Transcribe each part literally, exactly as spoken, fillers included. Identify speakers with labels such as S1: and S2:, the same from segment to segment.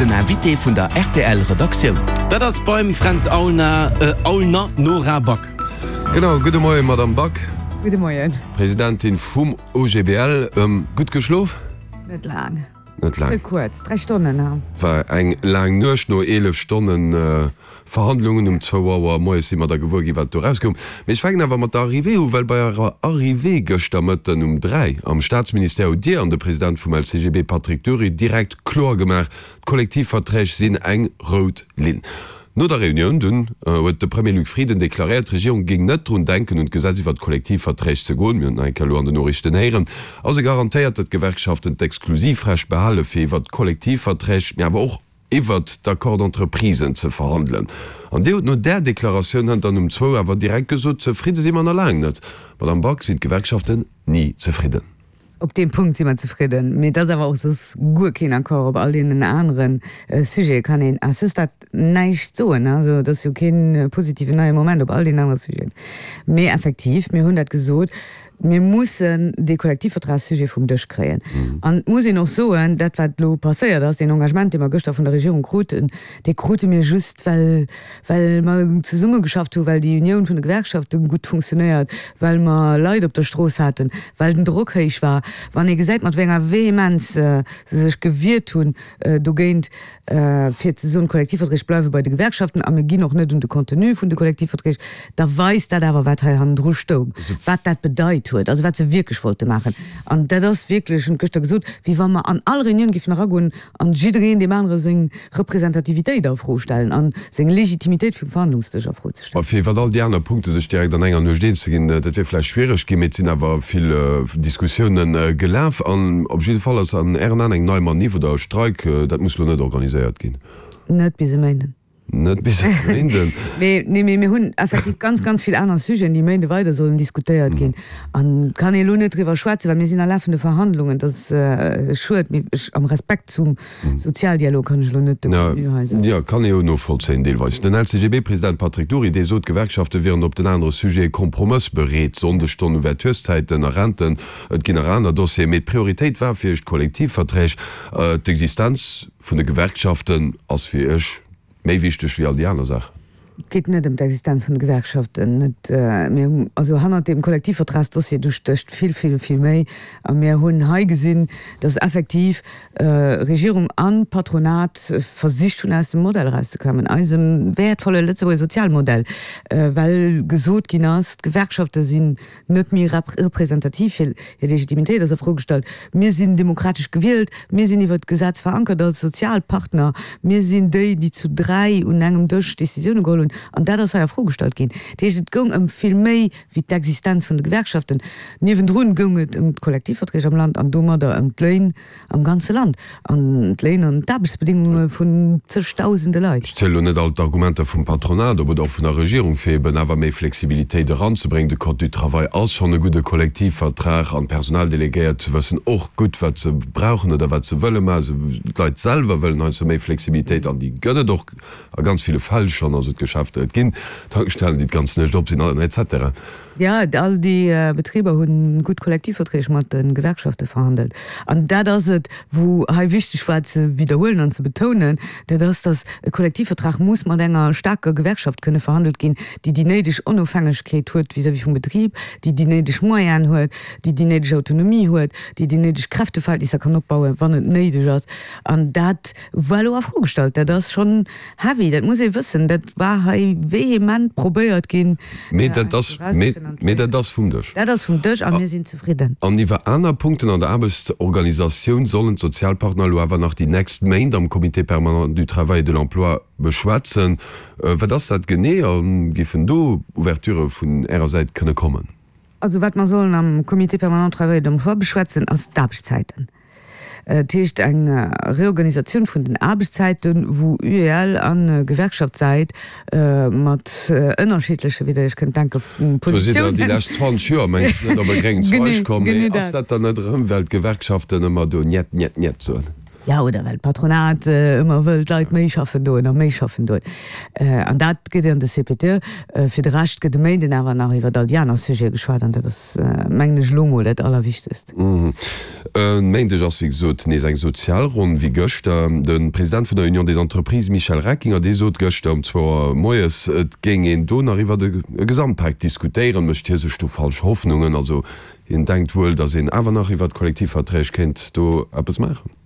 S1: Den Invité vun der rtl Redaktioun.
S2: Dat ass beim Fränz Aulner, Aulner, Nora Back.
S3: Genau, gudde Moien, Madamm Back.
S4: Gudde Moien.
S3: Presidentin vum OGBL. Gutt geschlof?
S4: Net laang.
S3: Net laang.
S4: Ze kuerz, dräi Stonnen, ha.
S3: War eng laang Nuecht, no eelef Stonnen Verhandlungen um zwou Auer moies si mer da gewuer ginn, wat do erauskoum. Mee ech fänken awer mat der Arrivée u, well bei Ärer Arrivée gëschter Mëtten um dräi am Staatsministère hutt Dir an de President vum LCGB Patrick Dury direkt kloer gemaach, d'Kollektivverträg sinn eng rout Linn. No der Reunioun dunn huet de Premier Luc Frieden deklaréiert, d'Regierung géing net drun denken, un d'Gesetz iwwer d'Kollektivverträg ze goen. Mir hunn et nach eng Kéier elo an den Noriichten héieren. A se garantéiert, datt d'Gewerkschaften d'Exklusivrecht behale fir iwwer d'Kollektivverträg, mee awer och iwwert d'Accords d'entreprisen ze verhandelen. An Dir hutt no där Deklaratioun hënt dann um zwou awer direkt gesot, Zefridde si mer nach laang net. Madamm Back, sinn d'Gewerkschaften ni zefridden?
S4: Op deem Punkt si mer zefridden, mee et ass awer och soss guer keen Accord op all deenen anere Sujete kann een à ce stade näischt soen. Also et ass jo kee positiven neie Moment op all deenen anere Sujeten. Mee effektiv, mir hunn dat gesot, mir mussen dee Kollektivvertragssujet vum Dësch kréien. An et muss een och soen, dat wat elo passéiert ass, deen Engagement, dee mer gëschter vun der Regierung kruten, dee krute mir just, well well mer zesummegeschafft hunn, well déi Unioun vun de Gewerkschafte gutt funktionéiert, well mer Leit op der Strooss haten, well den Drock héich war. Wann ee gesäit, mat wéi enger Vehemenz se sech gewiert hunn dogéint, fir ze soen, d'Kollektivverträg bleiwe bei de Gewerkschaften a mir ginn och net un de Contenu vun de Kollektivverträg, da weist dat awer, wat hei hannendru stoung, wat dat bedeit huet, also wat se wierklech wollte maachen. An dat ass wierklech, hunn ech gëschter gesot, wéi wa mer an all Reunioun géifen eragoen an jiddereen deem anere seng Representativitéit a Fro stellen a seng Legitimitéit vum Verhandlungsdësch a Fro ze
S3: stellen. Fir iwwer all déi aner Punkte sech direkt an enger Nuecht eens ze ginn, dat wier vläicht schwiereg ginn, mee et sinn awer vill Diskussiounen gelaf. An op jidde Fall ass an Ären Aen eng nei Maniff oder e Streik, dat muss elo net organiséiert ginn.
S4: Net bis e Méinden.
S3: Net bis e Méinden.
S4: Mee, nee, mee mir hunn effektiv ganz, ganz vill aner Sujeten, déi Méinde weider sollen diskutéiert ginn. An kann ee elo net driwwer schwätzen, well mir sinn a lafende Verhandlungen. Dat ass schued, mee ech, am Respekt zum Sozialdialog kann ech elo net de Contenu hei soen.
S3: Jo, kann ee jo novollzéien deelweis. Den LCGB-President Patrick Dury, dee sot, d'Gewerkschafte wieren op den anere Sujete kompromëssbereet, Sonndesstonnen, Ouvertureszäiten a Renten, et ginn nach aner Dossieren, mee d'Prioritéit war fir Iech d'Kollektivverträg. D'Existenz vun de Gewerkschaften ass fir Iech méi wichteg wéi all déi aner Saachen.
S4: Et geet net ëm d'Existenz vun de Gewerkschaften. Net, mir hunn, also hannert deem Kollektivvertragsdossier, do stécht vill, vill, vill méi. A mir hunn hei gesinn, dass effektiv Regierung a Patronat versicht hunn, aus dem Modell erauszeklammen, eisem wäertvolle Lëtzebuerger Sozialmodell, well gesot ginn ass, d'Gewerkschafte sinn net méi representativ, hir Legitimitéit ass a Fro gestallt. Mir sinn demokratesch gewielt, mir sinn iwwert d'Gesetz verankert als Sozialpartner, mir sinn déi, déi zu dräi un engem Dësch Décisioune geholl hunn. An dat ass hei a Fro gestallt ginn. Dat heescht, et goung ëm vill méi wéi d'Existenz vun de Gewerkschaften. Niewendrun goung et ëm d'Kollektivverträg am Land an domadder ëm d'Léin am ganze Land an d'Léin an d'Aarbechtsbedingunge vun zegdausende Leit.
S3: Ech zielen elo net all d'Argumenter vum Patronat op oder och vun der Regierung, fir eben awer méi Flexibilitéit eranzebréngen. De Code du travail ass schonn e gudde Kollektivvertrag an d'Personaldelegéiert wëssen och gutt, wat se brauchen oder wat se wëlle maachen. D'Leit selwer wëllen heiansdo méi Flexibilitéit an déi gëtt et och a ganz ville Fäll schonn. Also d'Geschäfter, et ginn Tankstellen, déi d'ganz Nuecht op sinn, et cetera.
S4: Jo, all déi Betriber hu gutt Kollektivverträg mat de Gewerkschafte verhandelt. An dat ass et, wou hei wichteg war ze widderhuelen an ze betounen, dat ass, datt e Kollektivvertrag muss mat enger staarker Gewerkschaft kënne verhandelt ginn, déi déi néideg Onofhängegkeet huet vis-à-vis vum Betrib, déi déi néideg Moyenen huet, déi déi néideg Autonomie huet, déi déi néideg Kräfteverhältnisser kann opbauen, wann et néideg ass. An dat war elo a Fro gestallt. Dat ass schonn heavy, dat muss ee wëssen. Dat war hei vehement probéiert ginn,
S3: Mee dat ass, mee dat ass vum Dësch.
S4: Dat ass vum Dësch a mir sinn zefridden.
S3: An iwwer aner Punkten an der Aarbechtsorganisatioun sollen d'Sozialpartner elo awer nach déi nächst Méint am Comité permanent du travail et de l'emploi beschwätzen. Wat ass dat genee a géifen do Ouverturë vun Ärer Säit kënne kommen?
S4: Also wat mer sollen am Comité permanent du travail et de l'emploi beschwätzen, ass d'Aarbechtszäiten. Dat heescht eng Reorganisatioun vun den Aarbechtszäiten, wou UEL a Gewerkschaftssäit mat ënnerschiddleche, wéi Der Iech kënnt denken,
S3: Do sidd Der
S4: Positiounen.
S3: déi lescht zwanzeg Joer, mengen ech, net op e gréngen
S4: Genee,
S3: Zweig komm.
S4: genee
S3: Mee ass
S4: dat.
S3: dat dann net erëm, well d'Gewerkschaften ëmmer do Njet, njet, njet soen?
S4: Jo, oder well d'Patronat ëmmer wëll d'Leit méi schaffen doen a méi schaffen doen. An dat gëtt an de C P T. Fir de Rescht gëtt e Méinden awer nach iwwer all déi aner Sujete geschwat an dat ass, mengen ech, elo mol dat Allerwichtegst.
S3: E Méindeg ass wéi gesot nees eng Sozialronn, wéi gëschter. De President vun der Union des Entreprises Michel Reckinger, dee sot gëschter um zwou Auer moies, et géing een do nach iwwer e Gesamtpak diskutéieren. Mécht hie sech do falsch Hoffnungen? Also hien denkt wuel, datt een awer nach iwwer d'Kollektivverträg kéint do eppes maachen.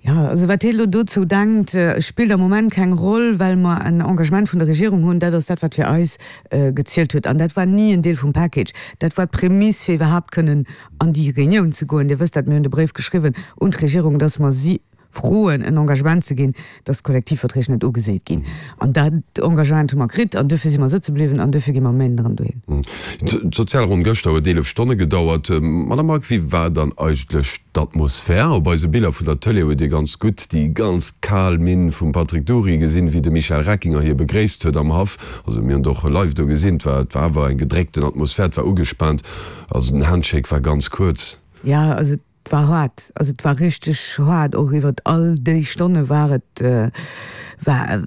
S4: Jo, also wat hie elo dozou denkt, spillt am Moment keng Roll, well mer en Engagement vun der Regierung hunn. Dat ass dat, wat fir eis gezielt huet. An dat war ni en Deel vum Package. Dat war d'Prämiss, fir iwwerhaapt kënnen an déi Reunioun ze goen. Dir wësst dat, mir hunn de Bréif geschriwwen un d'Regierung, dass mer si froen, en Engagement ze ginn, dass d'Kollektivverträg net ugeséit ginn. An dat Engagement hu mer kritt an duerfir si mer sëtze bliwwen an duerfir gi mer um Méinden erëm dohin.
S3: D'Sozialronn gëschter huet eelef Stonne gedauert. Madame Margue, wéi war dann eigentlech d'Atmosphär? Op eise Biller vun der Tëlee huet ee ganz gutt déi ganz kal Minn vum Patrick Dury gesinn, wéi de Michel Reckinger hie begréisst huet am Haff. Also mir hunn et och live do gesinn, et war et war awer eng gedréckten Atmosphär, et war ugespaant. Also den Handshake war ganz kuerz.
S4: Jo, also et war haart, also et war richteg haart, och iwwert all déi Stonne war et, war,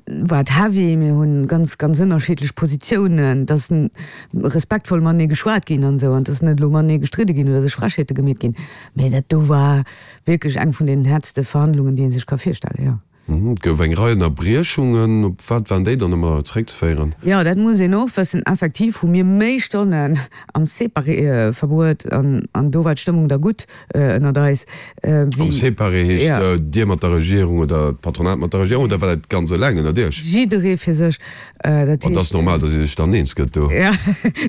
S4: war et heavy. Mir hunn ganz, ganz ënnerschiddlech Positiounen, et ass respektvoll matenee geschwat ginn an esou, an et ass net elo matenee gestridde ginn oder sech Frechheete gemeet ginn, mä dat do war wierklech eng vun den häertste Verhandlungen, déi ee sech ka virstellen, jo.
S3: Et gouf eng Rei Ënnerbriechungen. Op wat waren déi dann ëmmer zeréckzeféieren?
S4: Jo, dat muss een och wëssen. Effektiv hu mir méi Stonnen am Séparé verbruet an do war d'Stëmmung da gutt ënnert eis.
S3: Am Séparé heescht Dir mat der Regierung oder d'Patronat mat der Regierung oder war dat ganz eleng ënnert Iech?
S4: Jidderee fir sech.
S3: Dat heescht. An dat ass normal, datt ee sech dann eens gëtt do?
S4: Jo,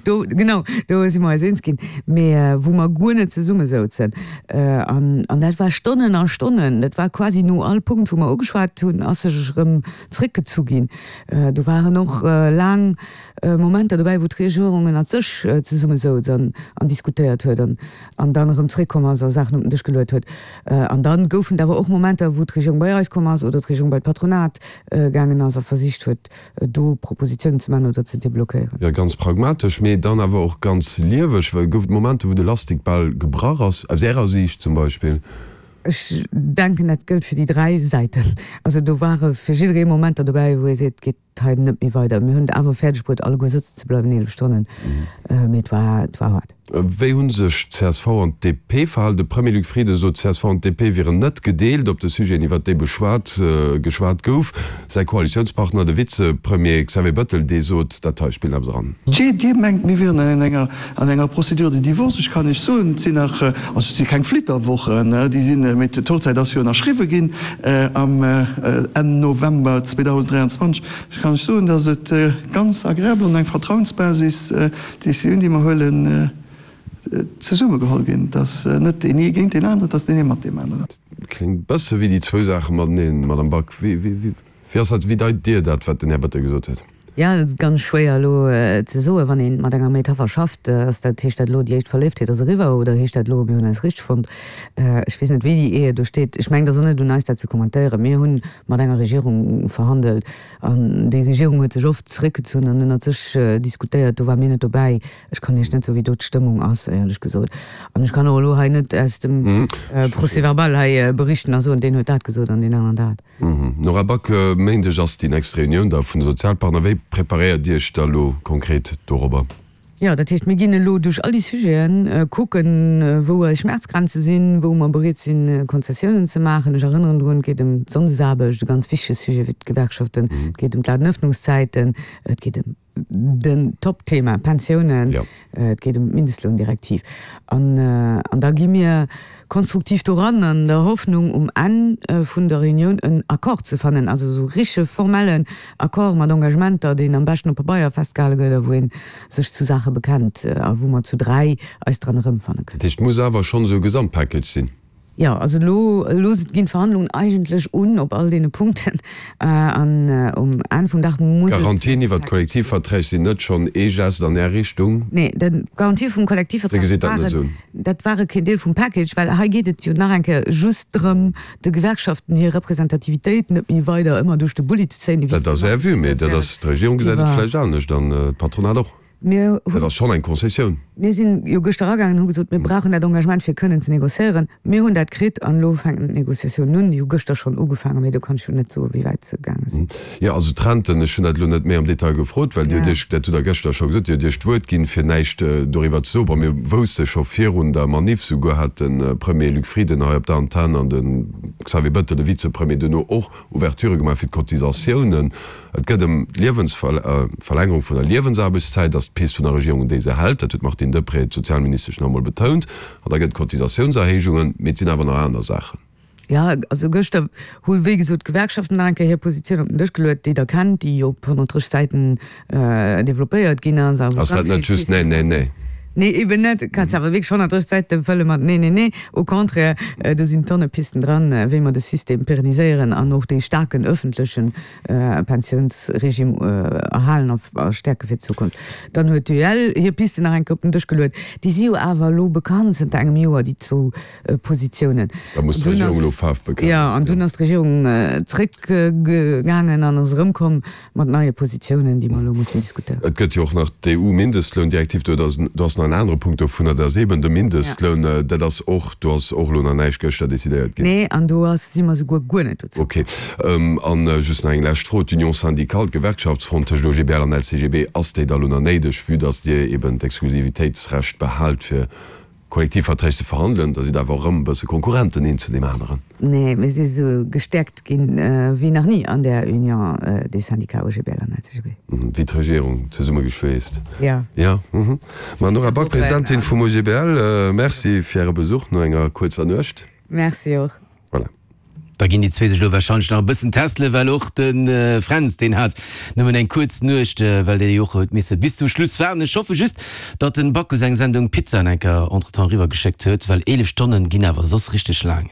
S4: do, genau, do si mer eis eens ginn. Mee wou mer guer net zesumme souzen. An dat war Stonnen a Stonnen. Dat war quasi no all Punkt, wou mer ugeschwat hunn, ass sech erëm zréckgezu ginn. Do waren och laang Momenter dobäi, wou d'Regierung ënnert sech zesumme souz an diskutéiert huet an dann erëm zréckkomm ass a Saachen op den Dësch geluet huet. An da goufen et awer och Momenter, wou d'Regierung bei eis komm ass oder d'Regierung bei d'Patronat gaangen ass a versicht huet, do Propositionen ze man oder ze deblockéieren.
S3: Jo, ganz pragmatesch, mee dann awer och ganz lieweg. Well gouf et Momenter, wou de Lastik bal gebrach ass, aus Ärer Siicht zum Beispill?
S4: Ech denken, dat gëllt fir déi dräi Säiten. Also do ware fir jidderee Momenter dobäi, wou ee seet, et geet hei net méi weider. Mir hunn et awer fäerdeg bruet, alleguer sëtzen ze bleiwen, eelef Stonnen, mee et war, et war haart.
S3: Wéi hu sech d'C S V an d'D P verhalen? De Premier Luc Frieden sot, d'C S V an d'D P wieren net gedeelt op de Sujeten, iwwert déi beschwat geschwat gouf. Säi Koalitiounspartner, de Vizepremier Xavier Bettel, dee sot, dat hei spillt eppes eran.
S5: Jee, Dir mengt, mir wieren an enger an enger Procédure de divorce. Ech kann Iech soen, et sinn nach, also et si keng Flitterwochen, déi sinn, mee d'Hochzäit ass jo ënnerschriwwe ginn am Enn November zweedausend dräianzwanzeg Ech kann Iech soen, datt et ganz agreabel an eng Vertrauensbasis, d'Décisioun, déi mer huelen, zesumme geholl ginn. Et ass net deen ee géint deen aneren, et ass deen ee mat deem aneren.
S3: Kléngt e bësse wéi déi zwou Saache mateneen, Madame Back. Wéi ass dat, wéi deit Dir dat, wat den Här Bettel gesot huet?
S4: Jo, dat ass ganz schwéier elo ze soen. Wann ee mat enger Metapher schafft, ass dat, heescht dat elo, déi éischt Verléiftheet ass eriwwer oder heescht dat elo, mir hunn eis richteg fonnt? Ech weess net, wéi déi Ehe do steet. Ech mengen, et ass och net un eis, dat ze kommentéieren. Mir hunn mat enger Regierung verhandelt an déi Regierung huet sech oft zeréckgezunn an ënnert sech diskutéiert. Do ware mir net dobäi. Ech kann Iech net soen, wéi do d'Stëmmung ass, éierlech gesot. An ech kann och elo hei net aus dem Procès-verbal hei berichten a soen, deen huet dat gesot an deen aneren dat.
S3: Nora Back, E Méindeg ass déi nächst Reunioun da vun de Sozialpartner. Wéi preparéiert Dir Iech da elo konkret dorobber?
S4: Jo, dat heescht, mir ginn elo duerch all déi Sujeten, kucken, wou eis Schmerzgrenze sinn, wou mer bereet sinn, Konzessiounen ze maachen. Ech erënneren drun, et geet ëm d'Sonndesaarbecht, e ganz wichtege Sujet fir d'Gewerkschaften, et geet ëm d'Ladenëffnungszäiten, et geet ëm den Top-Thema Pensiounen, et geet ëm d'Mindestloundirektiv. An an da gi mir konstruktiv doran an der Hoffnung, um Enn vun der Reunioun en Accord ze fannen, also esou richtege formellen Accord mat Engagementer, deen am beschten op Pabeier festgehale gëtt a wou ee sech zu Saache bekennt a wou mer zu dräi eis dran erëmfanne
S3: kënnen. Dat heescht, et muss awer schonn esou e Gesamtpackage sinn?
S4: Jo, also elo, elo ginn d'Verhandlungen eigentlech un op all deene Punkten an um Enn vum Dag muss et.
S3: D'Garantien iwwert d'Kollektivverträg sinn net schonn ee Gest an Är Richtung?
S4: Nee, d'Garantië vum Kollektivvertrag waren, dat ware keen Deel vum Package, well hei geet et jo nach eng Kéier just drëm, de Gewerkschaften hir Representativitéit net méi weider ëmmer duerch de Bulli ze zéien.
S3: Dat ass Är Vue, mee dat ass, d'Regierung gesäit et vläicht anescht an d'Patronat och.
S4: Mir
S3: Dat ass schonn eng Konzessioun.
S4: Mir sinn jo gëschter eragaangen an hu gesot, mir brauchen dat Engagement fir kënnen ze négociéieren. Mir hunn dat kritt an elo fänken d'Négociatiounen un. Déi hu gëschter schonn ugefaangen, mee do kann ech jo net soen, wéi wäit se gaange sinn.
S3: Jo, also d'Renten, ech hunn dat elo net méi am Detail gefrot, well Dir hutt Iech, dat hutt Der gëschter scho gesot, Dir hutt Iech d'Wuert ginn, fir näischt doriwwer ze soen. Bon, mir wousste scho virun der Maniff, souguer hat de Premier Luc Frieden hei op der Antenn an de Xavier Bettel, de Vizepremier, duerno och Ouverturë gemaach fir d'Cotisatiounen. Et gëtt ëm d'Liewensverlängerung vun der Liewensaarbechtszäit, ass d'Pist vun der Regierung, un déi se hält. Dat huet d'Martine Deprez, d'Sozialministesch, nach emol betount. An da gëtt et Cotisatiounserhéijungen, mee et sinn awer nach aner Saachen.
S4: Jo, also gëschter hu wéi gesot d'Gewerkschaften nach eng Kéier hir Positioun op den Dësch geluet, déi Der kennt, déi op honnertdrësseg Säiten developpéiert ginn ass a wou
S3: Ass
S4: ganz
S3: dat net
S4: vill
S3: just Nee,
S4: Pisten
S3: nee,
S4: dra sinn.
S3: nee?
S4: Nee, eben net. Kanns awer wierklech honnertdrësseg Säite fëlle mat Nee, nee, nee. Au contraire, do sinn Tonne Pisten dran, wéi mer de System pérenniséieren an och dee staarken öffentleche Pensiounsregime erhalen a stäerke fir d'Zukunft. Dann huet d'UEL hir Pisten nach eng Kéier op den Dësch geluet. Déi si jo awer elo bekannt zënter engem Joer, déi zwou Positiounen.
S3: Da muss d'Regierung elo Faarf bekennen.
S4: Jo, an dunn ass d'Regierung zréckgaangen an ass erëmkomm mat neie Positiounen, déi mer elo mussen diskutéieren.
S3: Et gëtt jo och nach d'EU-Mindestloundirektiv. Do ass do ass nach en anere Punkt dovunner, dat ass eeben de Mindestloun. Dat ass och, do ass och elo nach näischt gëschter decidéiert ginn.
S4: Nee, an do ass, si mer souguer guer net dozou
S3: Ok. An just nach eng lescht Fro, D'Union syndicale, d'Gewerkschaftsfront tëscht OGBL an LCGB, ass déi da elo nach néideg, vue dass Dir eeben d'Exklusivitéitsrecht behaalt fir Kollektivverträg ze verhandelen, da sidd awer erëm e bësse Konkurrenten een zu deem aneren.
S4: Nee, mir si sou gestäerkt ginn wéi nach ni an där Union des syndicats OGBL an LCGB.
S3: Wéi d'Regierung zesummegeschweesst.
S4: Jo.
S3: Jo. Mme Nora Back, Presidentin vum OGBL, Merci fir Äre Besuch no enger kuerzer Nuecht.
S4: Merci och.
S3: Voilà.
S2: Da ginn déi zwee sech elo warscheinlech nach e bëssen testelen, well och de Fränz, deen hat nëmmen eng kuerz Nuecht, well dee jo och huet misse bis zum Schluss waarden. Ech hoffe just, datt den Bacchus eng Sendung Pizzaen enker entretemps eriwwer geschéckt huet, well eelef Stonnen ginn awer soss richteg laang.